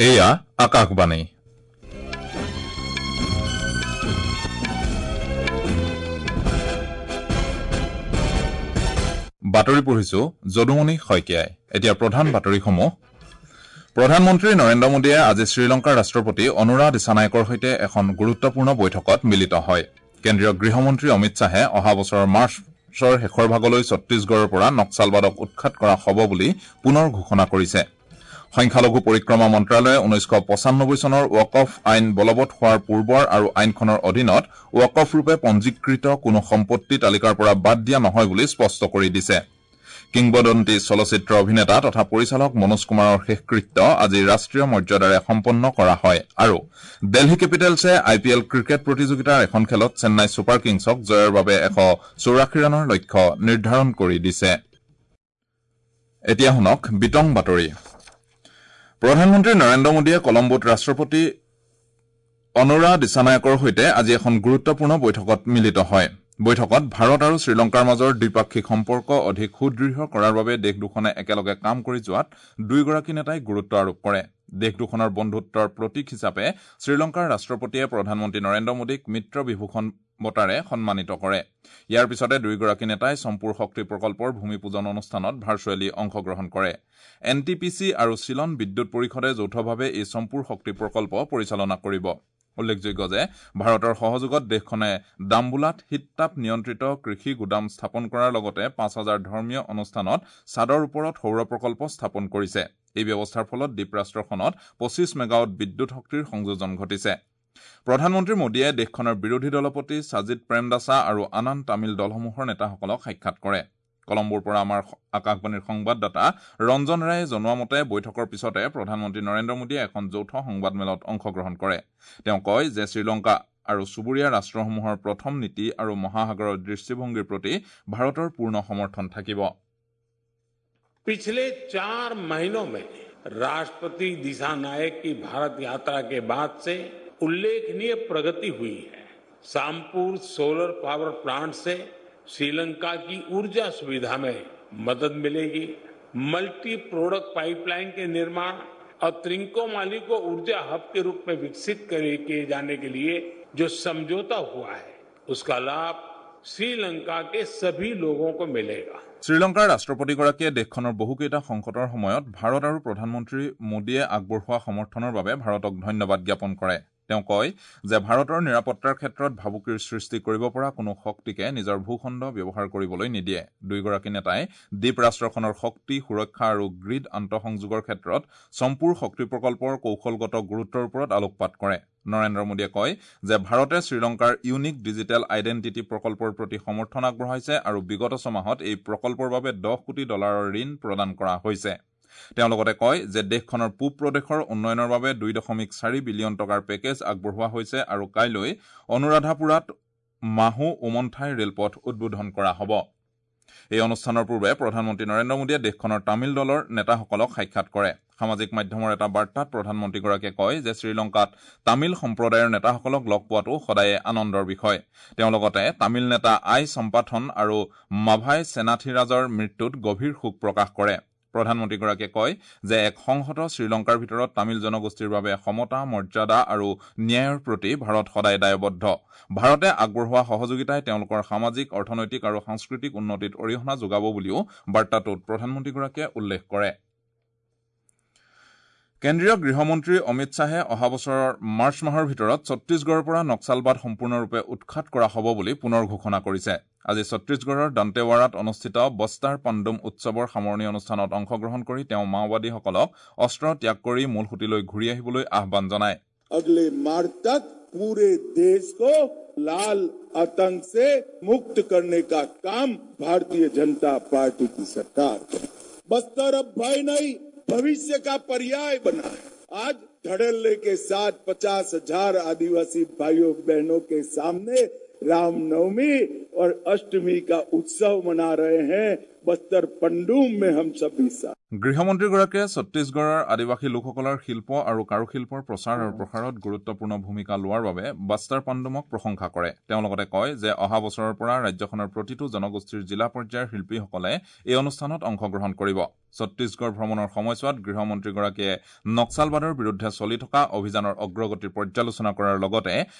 এয়া আকাশবাণী। বাতৰি পঢ়িছো যদুমণি শইকীয়াই। এতিয়া প্ৰধান বাতৰিসমূহ। প্ৰধানমন্ত্ৰী নৰেন্দ্ৰ মোদীয়ে আজি শ্ৰীলংকাৰ ৰাষ্ট্ৰপতি অনুৰা দিছানায়কৰ সৈতে এখন গুৰুত্বপূৰ্ণ বৈঠকত মিলিত হয়। কেন্দ্ৰীয় গৃহমন্ত্ৰী অমিত শ্বাহে অহা বছৰৰ মাৰ্চৰ শেষৰ ভাগলৈ ছত্তীশগড়ৰ পৰা নক্সালবাদক উৎখাত কৰা হ'ব বুলি পুনৰ ঘোষণা কৰিছে। সংখ্যালঘু পৰিক্ৰমা মন্ত্ৰালয়ে 1995 চনৰ ৱাকফ আইন বলবৎ হোৱাৰ পূৰ্বৰ আৰু আইনখনৰ অধীনত ৱাকফ ৰূপে পঞ্জীকৃত কোনো সম্পত্তি তালিকাৰ পৰা বাদ দিয়া নহয় বুলি স্পষ্ট কৰি দিছে। কিংবদন্তি চলচ্চিত্ৰ অভিনেতা তথা পৰিচালক মনোজ কুমাৰৰ শেষকৃত্য আজি ৰাষ্ট্ৰীয় মৰ্যাদাৰে সম্পন্ন কৰা হয়। আৰু দিল্লী কেপিটেলছে আই পি এল ক্ৰিকেট প্ৰতিযোগিতাৰ এখন খেলত চেন্নাই ছুপাৰ কিংছক জয়ৰ বাবে 184 ৰানৰ লক্ষ্য নিৰ্ধাৰণ কৰি দিছে। এতিয়া শুনক বিতং বাতৰি। প্ৰধানমন্ত্ৰী নৰেন্দ্ৰ মোদীয়ে কলম্বোত ৰাষ্ট্ৰপতি অনুৰা দিছানায়কৰ সৈতে আজি এখন গুৰুত্বপূৰ্ণ বৈঠকত মিলিত হয়। বৈঠকত ভাৰত আৰু শ্ৰীলংকাৰ মাজৰ দ্বিপাক্ষিক সম্পৰ্ক অধিক সুদৃঢ় কৰাৰ বাবে দেশ দুখনে একেলগে কাম কৰি যোৱাত দুয়োগৰাকী নেতাই গুৰুত্ব আৰোপ কৰে। দেশ দুখনৰ বন্ধুত্বৰ প্ৰতীক হিচাপে শ্ৰীলংকাৰ ৰাষ্ট্ৰপতিয়ে প্ৰধানমন্ত্ৰী নৰেন্দ্ৰ মোদীক মিত্ৰ বিভূষণ বঁটাৰে সন্মানিত কৰে। ইয়াৰ পিছতে দুয়োগৰাকী নেতাই চম্পুৰ শক্তি প্ৰকল্পৰ ভূমি পূজন অনুষ্ঠানত ভাৰ্চুৱেলি অংশগ্ৰহণ কৰে। এন টি পি চি আৰু চিলন বিদ্যুৎ পৰিষদে যৌথভাৱে এই চম্পুৰ শক্তি প্ৰকল্প পৰিচালনা কৰিব। উল্লেখযোগ্য যে ভাৰতৰ সহযোগত দেশখনে দাম্বুলাত শীততাপ নিয়ন্ত্ৰিত কৃষি গুদাম স্থাপন কৰাৰ লগতে 5000 ধৰ্মীয় অনুষ্ঠানত ছাদৰ ওপৰত সৌৰ প্ৰকল্প স্থাপন কৰিছে। এই ব্যৱস্থাৰ ফলত দ্বীপৰাষ্ট্ৰখনত 25 মেগাৱাট বিদ্যুৎ শক্তিৰ সংযোজন ঘটিছে। প্ৰধানমন্ত্ৰী মোদীয়ে দেশখনৰ বিৰোধী দলপতি ছাজিদ প্ৰেমদাসা আৰু আন আন তামিল দলসমূহৰ নেতাসকলক সাক্ষাৎ কৰে। কলম্বোৰ পৰা আমাৰ আকাশবাণীৰ সংবাদদাতা ৰঞ্জন ৰায়ে জনোৱা মতে বৈঠকৰ পিছতে প্ৰধানমন্ত্ৰী নৰেন্দ্ৰ মোদীয়ে এখন যৌথ সংবাদমেলত অংশগ্ৰহণ কৰে। তেওঁ কয় যে শ্ৰীলংকা আৰু চুবুৰীয়া ৰাষ্ট্ৰসমূহৰ প্ৰথম নীতি আৰু মহাসাগৰৰ দৃষ্টিভংগীৰ প্ৰতি ভাৰতৰ পূৰ্ণ সমৰ্থন থাকিব। पिछले 4 महीनों में राष्ट्रपति दिशानायक की भारत यात्रा के बाद से उल्लेखनीय प्रगति हुई है। सामपुर सोलर पावर प्लांट से श्रीलंका की ऊर्जा सुविधा में मदद मिलेगी। मल्टी प्रोडक्ट पाइपलाइन के निर्माण और त्रिंकोमाली को ऊर्जा हब के रूप में विकसित किए जाने के लिए जो समझौता हुआ है, उसका लाभ श्रीलंका के सभी लोगों को मिलेगा। শ্ৰীলংকাৰ ৰাষ্ট্ৰপতিগৰাকীয়ে দেশখনৰ বহুকেইটা সংকটৰ সময়ত ভাৰত আৰু প্ৰধানমন্ত্ৰী মোদীয়ে আগবঢ়োৱা সমৰ্থনৰ বাবে ভাৰতক ধন্যবাদ জ্ঞাপন কৰে। তেওঁ কয় যে ভাৰতৰ নিৰাপত্তাৰ ক্ষেত্ৰত ভাবুকিৰ সৃষ্টি কৰিব পৰা কোনো শক্তিকে নিজৰ ভূখণ্ড ব্যৱহাৰ কৰিবলৈ নিদিয়ে। দুয়োগৰাকী নেতাই দ্বীপ ৰাষ্ট্ৰখনৰ শক্তি সুৰক্ষা আৰু গ্ৰীড আন্তঃসংযোগৰ ক্ষেত্ৰত চম্পুৰ শক্তি প্ৰকল্পৰ কৌশলগত গুৰুত্বৰ ওপৰত আলোকপাত কৰে। নৰেন্দ্ৰ মোদীয়ে কয় যে ভাৰতে শ্ৰীলংকাৰ ইউনিক ডিজিটেল আইডেণ্টিটি প্ৰকল্পৰ প্ৰতি সমৰ্থন আগবঢ়াইছে আৰু বিগত ছমাহত এই প্ৰকল্পৰ বাবে $10 কোটি ঋণ প্ৰদান কৰা হৈছে। তেওঁ লগতে কয় যে দেশখনৰ পূব প্ৰদেশৰ উন্নয়নৰ বাবে 2.4 বিলিয়ন টকাৰ পেকেজ আগবঢ়োৱা হৈছে আৰু কাইলৈ অনুৰাধাপুৰাত মাহু উমন্থাই ৰেলপথ উদ্বোধন কৰা হ'ব। এই অনুষ্ঠানৰ পূৰ্বে প্ৰধানমন্ত্ৰী নৰেন্দ্ৰ মোদীয়ে দেশখনৰ তামিল দলৰ নেতাসকলক সাক্ষাৎ কৰে। সামাজিক মাধ্যমৰ এটা বাৰ্তাত প্ৰধানমন্ত্ৰীগৰাকীয়ে কয় যে শ্ৰীলংকাত তামিল সম্প্ৰদায়ৰ নেতাসকলক লগ পোৱাটো সদায়ে আনন্দৰ বিষয়। তেওঁ লগতে তামিল নেতা আই সম্পাথন আৰু মাভাই সেনাথিৰাজৰ মৃত্যুত গভীৰ শোক প্ৰকাশ কৰে। প্ৰধানমন্ত্ৰীগৰাকীয়ে কয় যে এক সংহত শ্ৰীলংকাৰ ভিতৰত তামিল জনগোষ্ঠীৰ বাবে সমতা, মৰ্যাদা আৰু ন্যায়ৰ প্ৰতি ভাৰত সদায় দায়বদ্ধ। ভাৰতে আগবঢ়োৱা সহযোগিতাই তেওঁলোকৰ সামাজিক, অৰ্থনৈতিক আৰু সাংস্কৃতিক উন্নতিত অৰিহণা যোগাব বুলিও বাৰ্তাটোত প্ৰধানমন্ত্ৰীগৰাকীয়ে উল্লেখ কৰে। কেন্দ্ৰীয় গৃহমন্ত্ৰী অমিত শ্বাহে অহা বছৰৰ মাৰ্চ মাহৰ ভিতৰত ছত্তীশগড়ৰ পৰা নক্সালবাদ সম্পূৰ্ণৰূপে উৎখাত কৰা হ'ব বুলি পুনৰ ঘোষণা কৰিছে। আজি ছত্তীশগড়ৰ দান্তেৱাৰাত অনুষ্ঠিত বস্তাৰ পাণ্ডুম উৎসৱৰ সামৰণি অনুষ্ঠানত অংশগ্ৰহণ কৰি তেওঁ মাওবাদীসকলক অস্ত্ৰ ত্যাগ কৰি মূল সুঁতিলৈ ঘূৰি আহিবলৈ আহ্বান জনায়। अगले मार्च तक पूरे देश को लाल आतंक से मुक्त करने का काम भारतीय जनता पार्टी की सरकार। बस्तर अब भय नहीं, भविष्य का पर्याय बना है। आज धड़ल्ले के साथ 50,000 आदिवासी भाइयों बहनों के सामने रामनवमी और अष्टमी का उत्सव मना रहे हैं। बस्तर पंडुम में हम सभी साथ। গৃহমন্ত্ৰীগৰাকীয়ে ছত্তীশগড়ৰ আদিবাসী লোকসকলৰ শিল্প আৰু কাৰুশিল্পৰ প্ৰচাৰ আৰু প্ৰসাৰত গুৰুত্বপূৰ্ণ ভূমিকা লোৱাৰ বাবে বাস্তাৰ পাণ্ডুমক প্ৰশংসা কৰে। তেওঁ লগতে কয় যে অহা বছৰৰ পৰা ৰাজ্যখনৰ প্ৰতিটো জনগোষ্ঠীৰ জিলা পৰ্যায়ৰ শিল্পীসকলে এই অনুষ্ঠানত অংশগ্ৰহণ কৰিব। ছত্তীশগড় ভ্ৰমণৰ সময়ছোৱাত গৃহমন্ত্ৰীগৰাকীয়ে নক্সালবাদৰ বিৰুদ্ধে চলি থকা অভিযানৰ অগ্ৰগতিৰ পৰ্যালোচনা কৰাৰ লগতে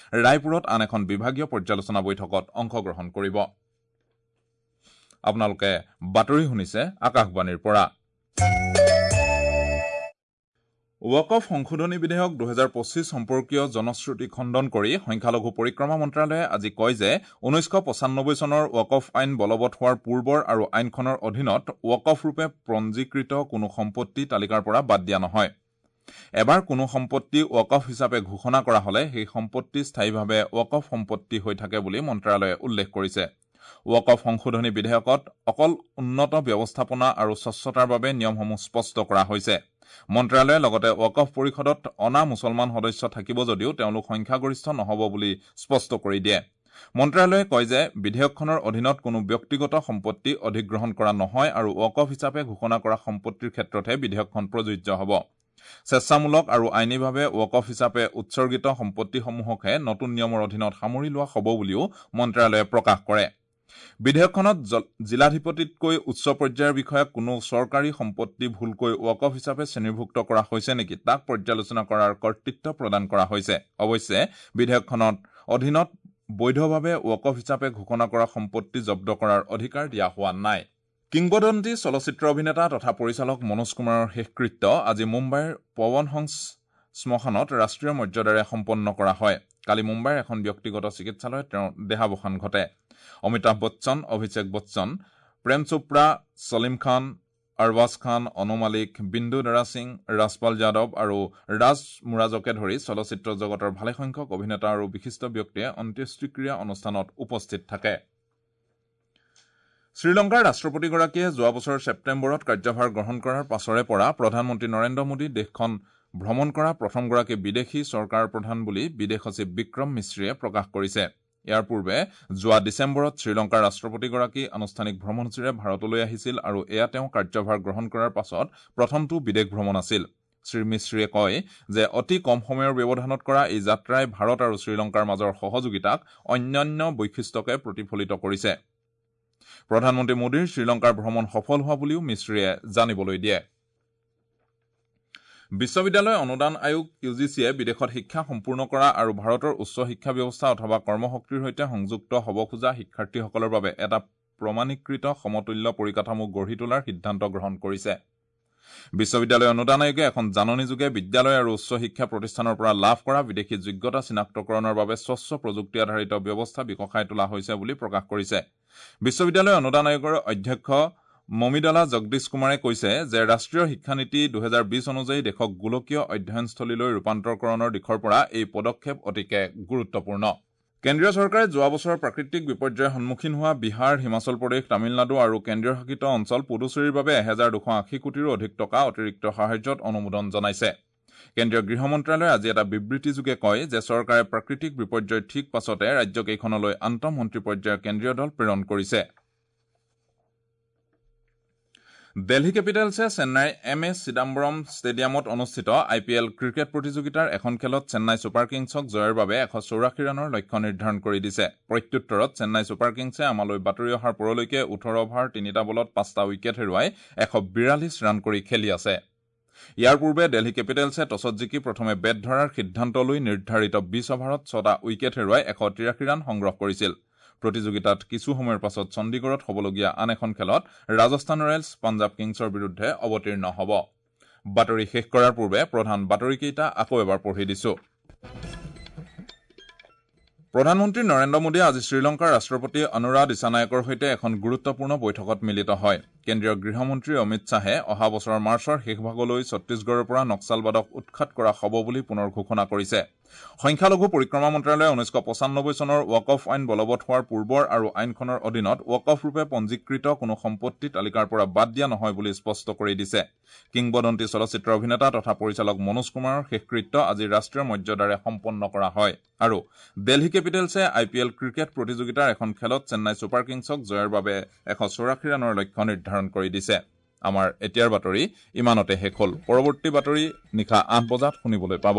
ৰায়পুৰত আন এখন বিভাগীয় পৰ্যালোচনা বৈঠকত অংশগ্ৰহণ কৰিব। আপোনালোকে বাতৰি শুনিছে আকাশবাণীৰ পৰা। ৱাকফ সংশোধনী বিধেয়ক 2025 সম্পৰ্কীয় জনশ্ৰুতি খণ্ডন কৰি সংখ্যালঘু পৰিক্ৰমা মন্ত্ৰালয়ে আজি কয় যে 1995 চনৰ ৱাকফ আইন বলবৎ হোৱাৰ পূৰ্বৰ আৰু আইনখনৰ অধীনত ৱাকফ ৰূপে পঞ্জীকৃত কোনো সম্পত্তি তালিকাৰ পৰা বাদ দিয়া নহয়। এবাৰ কোনো সম্পত্তি ৱাকফ হিচাপে ঘোষণা কৰা হলে সেই সম্পত্তি স্থায়ীভাৱে ৱাকফ সম্পত্তি হৈ থাকে বুলি মন্ত্ৰালয়ে উল্লেখ কৰিছে। ৱাকফ সংশোধনী বিধেয়কত অকল উন্নত ব্যৱস্থাপনা আৰু স্বচ্ছতাৰ বাবে নিয়মসমূহ স্পষ্ট কৰা হৈছে। মন্ত্ৰালয়ে লগতে ৱাকফ পৰিষদত অনা মুছলমান সদস্য থাকিব যদিও তেওঁলোক সংখ্যাগৰিষ্ঠ নহ'ব বুলি স্পষ্ট কৰি দিয়ে। মন্ত্ৰালয়ে কয় যে বিধেয়কখনৰ অধীনত কোনো ব্যক্তিগত সম্পত্তি অধিগ্ৰহণ কৰা নহয় আৰু ৱাকফ হিচাপে ঘোষণা কৰা সম্পত্তিৰ ক্ষেত্ৰতহে বিধেয়কখন প্ৰযোজ্য হ'ব। স্বেচ্ছামূলক আৰু আইনীভাৱে ৱাকফ হিচাপে উৎসৰ্গিত সম্পত্তিসমূহকহে নতুন নিয়মৰ অধীনত সামৰি লোৱা হ'ব বুলিও মন্ত্ৰালয়ে প্ৰকাশ কৰে। বিধেয়কখনত জিলাধিপতিতকৈ উচ্চ পৰ্যায়ৰ বিষয়াক কোনো চৰকাৰী সম্পত্তি ভুলকৈ ৱাকফ হিচাপে শ্ৰেণীভুক্ত কৰা হৈছে নেকি তাক পৰ্যালোচনা কৰাৰ কৰ্তৃত্ব প্ৰদান কৰা হৈছে। অৱশ্যে বিধেয়কখনত অধীনত বৈধভাৱে ৱাকফ হিচাপে ঘোষণা কৰা সম্পত্তি জব্দ কৰাৰ অধিকাৰ দিয়া হোৱা নাই। কিংবদন্তি চলচ্চিত্ৰ অভিনেতা তথা পৰিচালক মনোজ কুমাৰৰ শেষকৃত্য আজি মুম্বাইৰ পৱন হংস শ্মশানত ৰাষ্ট্ৰীয় মৰ্যাদাৰে সম্পন্ন কৰা হয়। কালি মুম্বাইৰ এখন ব্যক্তিগত চিকিৎসালয়ত তেওঁৰ দেহাৱসান ঘটে। অমিতাভ বচ্চন, অভিষেক বচ্চন, প্ৰেম চোপ্ৰা, ছলিম খান, আৰবাজ খান, অনু মালিক, বিন্দু দাৰা সিং, ৰাজপাল যাদৱ আৰু ৰাজ মুৰাজকে ধৰি চলচ্চিত্ৰ জগতৰ ভালেসংখ্যক অভিনেতা আৰু বিশিষ্ট ব্যক্তিয়ে অন্ত্যেষ্টিক্ৰিয়া অনুষ্ঠানত উপস্থিত থাকে। শ্ৰীলংকাৰ ৰাষ্ট্ৰপতিগৰাকীয়ে যোৱা বছৰ ছেপ্টেম্বৰত কাৰ্যভাৰ গ্ৰহণ কৰাৰ পাছৰে পৰা প্ৰধানমন্ত্ৰী নৰেন্দ্ৰ মোদী দেশখন ভ্ৰমণ কৰা প্ৰথমগৰাকী বিদেশী চৰকাৰ প্ৰধান বুলি বিদেশ সচিব বিক্ৰম মিশ্ৰীয়ে প্ৰকাশ কৰিছে। ইয়াৰ পূৰ্বে যোৱা ডিচেম্বৰত শ্ৰীলংকাৰ ৰাষ্ট্ৰপতিগৰাকী আনুষ্ঠানিক ভ্ৰমণসূচীৰে ভাৰতলৈ আহিছিল আৰু এয়া তেওঁ কাৰ্যভাৰ গ্ৰহণ কৰাৰ পাছত প্ৰথমটো বিদেশ ভ্ৰমণ আছিল। শ্ৰী মিশ্ৰীয়ে কয় যে অতি কম সময়ৰ ব্যৱধানত কৰা এই যাত্ৰাই ভাৰত আৰু শ্ৰীলংকাৰ মাজৰ সহযোগিতাক অন্যান্য বৈশিষ্ট্যকে প্ৰতিফলিত কৰিছে। প্ৰধানমন্ত্ৰী মোদীৰ শ্ৰীলংকাৰ ভ্ৰমণ সফল হোৱা বুলিও মিশ্ৰীয়ে জানিবলৈ দিয়ে। বিশ্ববিদ্যালয় অনুদান আয়োগ ইউ জি চিয়ে বিদেশত শিক্ষা সম্পূৰ্ণ কৰা আৰু ভাৰতৰ উচ্চ শিক্ষা ব্যৱস্থা অথবা কৰ্মশক্তিৰ সৈতে সংযুক্ত হ'ব খোজা শিক্ষাৰ্থীসকলৰ বাবে এটা প্ৰমাণীকৃত সমতুল্য পৰিকাঠামো গঢ়ি তোলাৰ সিদ্ধান্ত গ্ৰহণ কৰিছে। বিশ্ববিদ্যালয় অনুদান আয়োগে এখন জাননীযোগে বিদ্যালয় আৰু উচ্চ শিক্ষা প্ৰতিষ্ঠানৰ পৰা লাভ কৰা বিদেশী যোগ্যতা চিনাক্তকৰণৰ বাবে স্বচ্ছ প্ৰযুক্তি আধাৰিত ব্যৱস্থা বিকশাই তোলা হৈছে বুলি প্ৰকাশ কৰিছে। বিশ্ববিদ্যালয় অনুদান আয়োগৰ অধ্যক্ষ মমিডালা জগদীশ কুমাৰে কৈছে যে ৰাষ্ট্ৰীয় শিক্ষানীতি 2020 অনুযায়ী দেশক গোলকীয় অধ্যয়নস্থলীলৈ ৰূপান্তৰকৰণৰ দিশৰ পৰা এই পদক্ষেপ অতিকে গুৰুত্বপূৰ্ণ। কেন্দ্ৰীয় চৰকাৰে যোৱা বছৰৰ প্ৰাকৃতিক বিপৰ্যয়ৰ সন্মুখীন হোৱা বিহাৰ, হিমাচল প্ৰদেশ, তামিলনাডু আৰু কেন্দ্ৰীয় শাসিত অঞ্চল পুডুচেৰীৰ বাবে 1280 কোটিৰো অধিক টকা অতিৰিক্ত সাহায্যত অনুমোদন জনাইছে। কেন্দ্ৰীয় গৃহ মন্ত্ৰালয়ে আজি এটা বিবৃতিযোগে কয় যে চৰকাৰে প্ৰাকৃতিক বিপৰ্যয়ৰ ঠিক পাছতে ৰাজ্যকেইখনলৈ আন্তঃমন্ত্ৰী পৰ্যায়ৰ কেন্দ্ৰীয় দল প্ৰেৰণ কৰিছে। দিল্লী কেপিটেলছে চেন্নাইৰ এম এ চিদাম্বৰম ষ্টেডিয়ামত অনুষ্ঠিত আই পি এল ক্ৰিকেট প্ৰতিযোগিতাৰ এখন খেলত চেন্নাই ছুপাৰ কিংছক জয়ৰ বাবে 184 ৰানৰ লক্ষ্য নিৰ্ধাৰণ কৰি দিছে। প্ৰত্যুত্তৰত চেন্নাই ছুপাৰ কিংছে আমালৈ বাতৰি অহাৰ পৰলৈকে 18 অভাৰ 3টা বলত 5টা উইকেট হেৰুৱাই 142 ৰান কৰি খেলি আছে। ইয়াৰ পূৰ্বে দিল্লী কেপিটেলছে টছত জিকি প্ৰথমে বেট ধৰাৰ সিদ্ধান্ত লৈ নিৰ্ধাৰিত 20 অভাৰত 6টা উইকেট হেৰুৱাই 183 ৰান সংগ্ৰহ কৰিছিল। প্ৰতিযোগিতাত কিছু সময়ৰ পাছত চণ্ডীগড়ত হ'বলগীয়া আন এখন খেলত ৰাজস্থান ৰয়েলছ পাঞ্জাৱ কিংছৰ বিৰুদ্ধে অৱতীৰ্ণ হ'ব। বাতৰি শেষ কৰাৰ পূৰ্বে প্ৰধান বাতৰিকেইটা আকৌ এবাৰ পঢ়ি দিছো। প্ৰধানমন্ত্ৰী নৰেন্দ্ৰ মোদীয়ে আজি শ্ৰীলংকাৰ ৰাষ্ট্ৰপতি অনুৰা দিছানায়কৰ সৈতে এখন গুৰুত্বপূৰ্ণ বৈঠকত মিলিত হয়। কেন্দ্ৰীয় গৃহমন্ত্ৰী অমিত শ্বাহে অহা বছৰৰ মাৰ্চৰ শেষভাগলৈ ছত্তীশগড়ৰ পৰা নক্সালবাদক উৎখাত কৰা হ'ব বুলি পুনৰ ঘোষণা কৰিছে। সংখ্যালঘু পৰিক্ৰমা মন্ত্ৰালয়ে 1995 চনৰ ৱাকফ আইন বলবৎ হোৱাৰ পূৰ্বৰ আৰু আইনখনৰ অধীনত ৱাকফ ৰূপে পঞ্জীকৃত কোনো সম্পত্তি তালিকাৰ পৰা বাদ দিয়া নহয় বুলি স্পষ্ট কৰি দিছে। কিংবদন্তি চলচ্চিত্ৰ অভিনেতা তথা পৰিচালক মনোজ কুমাৰৰ শেষকৃত্য আজি ৰাষ্ট্ৰীয় মৰ্যাদাৰে সম্পন্ন কৰা হয়। আৰু দিল্লী কেপিটেলছে আই পি এল ক্ৰিকেট প্ৰতিযোগিতাৰ এখন খেলত চেন্নাই ছুপাৰ কিংছক জয়ৰ বাবে 184 ৰানৰ লক্ষ্য নিৰ্ধাৰণ নিৰ্ধাৰণ কৰি দিছে। আমাৰ এতিয়াৰ বাতৰি ইমানতে শেষ হ'ল। পৰৱৰ্তী বাতৰি নিশা ৮ বজাত শুনিবলৈ পাব।